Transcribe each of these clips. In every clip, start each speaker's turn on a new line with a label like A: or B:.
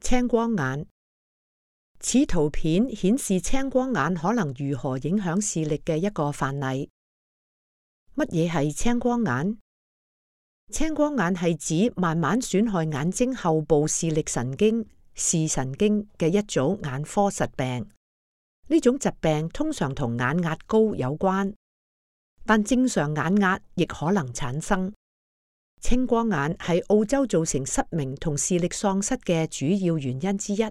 A: 青光眼。此圖片顯示青光眼可能如何影響視力嘅一個範例。乜嘢係青光眼？青光眼係指慢慢損害眼睛後部視力神經視神經嘅一組眼科疾病。呢種疾病通常同眼壓高有關，但正常眼壓亦可能產生。青光眼係澳洲造成失明同視力喪失嘅主要原因之一。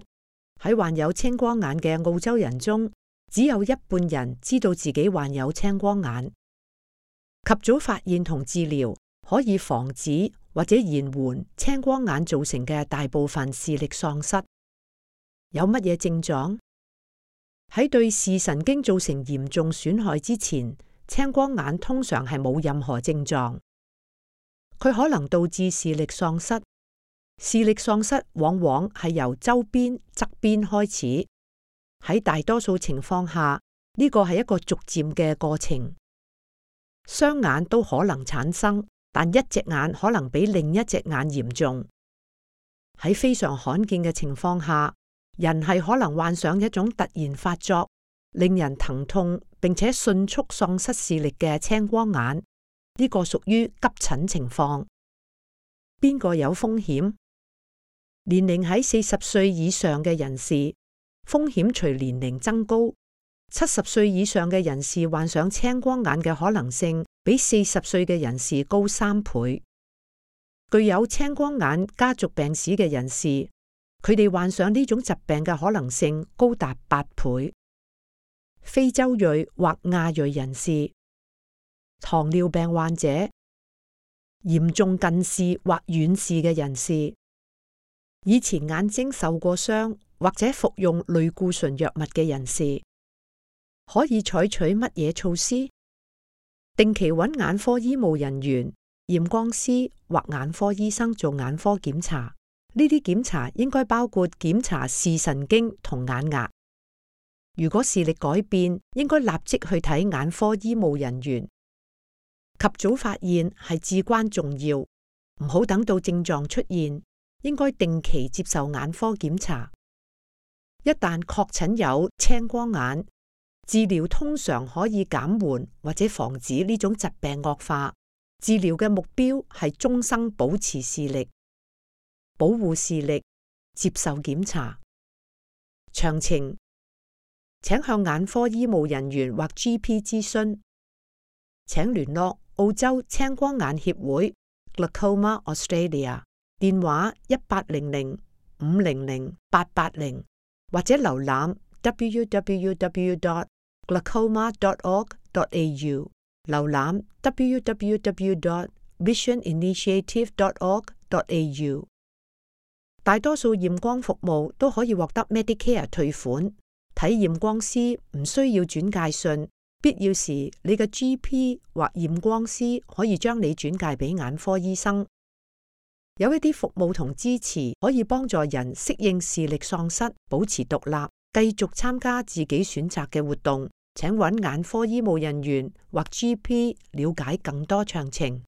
A: 喺患有青光眼嘅澳洲人中，只有一半人知道自己患有青光眼。及早發現同治療可以防止或者延緩青光眼造成嘅大部分視力喪失。有乜嘢症狀？喺對視神經造成嚴重損害之前，青光眼通常係冇任何症狀。佢可能導致視力喪失。視力喪失往往係由周邊側邊開始，喺大多數情況下，呢個係一個逐漸嘅過程。雙眼都可能產生，但一隻眼可能比另一隻眼嚴重。喺非常罕見嘅情況下，人係可能患上一種突然發作、令人疼痛並且迅速喪失視力嘅青光眼。呢個屬於急診情況。邊個有風險？年齡喺40歲以上嘅人士，風險隨年齡增高。70歲以上嘅人士患上青光眼嘅可能性比40歲嘅人士高3倍。具有青光眼家族病史嘅人士，佢哋患上呢種疾病嘅可能性高達8倍。非洲裔或亞裔人士、糖尿病患者、嚴重近視或遠視嘅人士、以前眼睛受過傷或者服用類固醇藥物嘅人士，可以採取乜嘢措施？定期揾眼科醫務人員、驗光師或眼科醫生做眼科檢查。呢啲檢查應該包括檢查視神經同眼壓。如果視力改變，應該立即去睇眼科醫務人員。及早發現係至關重要，唔好等到症狀出現，應該定期接受眼科檢查。一旦確診有青光眼，治療通常可以減緩或者防止呢種疾病惡化。治療嘅目標係終生保持視力、保護視力、接受檢查。詳情請向眼科醫務人員或 GP 諮詢。請聯絡澳洲青光眼協會 Glaucoma Australia， 電話1800-500-880，或者瀏覽 www.glaucoma.org.au， 瀏覽 www.visioninitiative.org.au。 大多數驗光服務都可以獲得 Medicare 退款。睇驗光師唔需要轉介信，必要時你嘅 GP 或驗光師可以將你轉介俾眼科醫生。有一啲服務同支持可以幫助人適應視力喪失，保持獨立，繼續參加自己選擇嘅活動。請揾眼科醫務人員或 GP 了解更多詳情。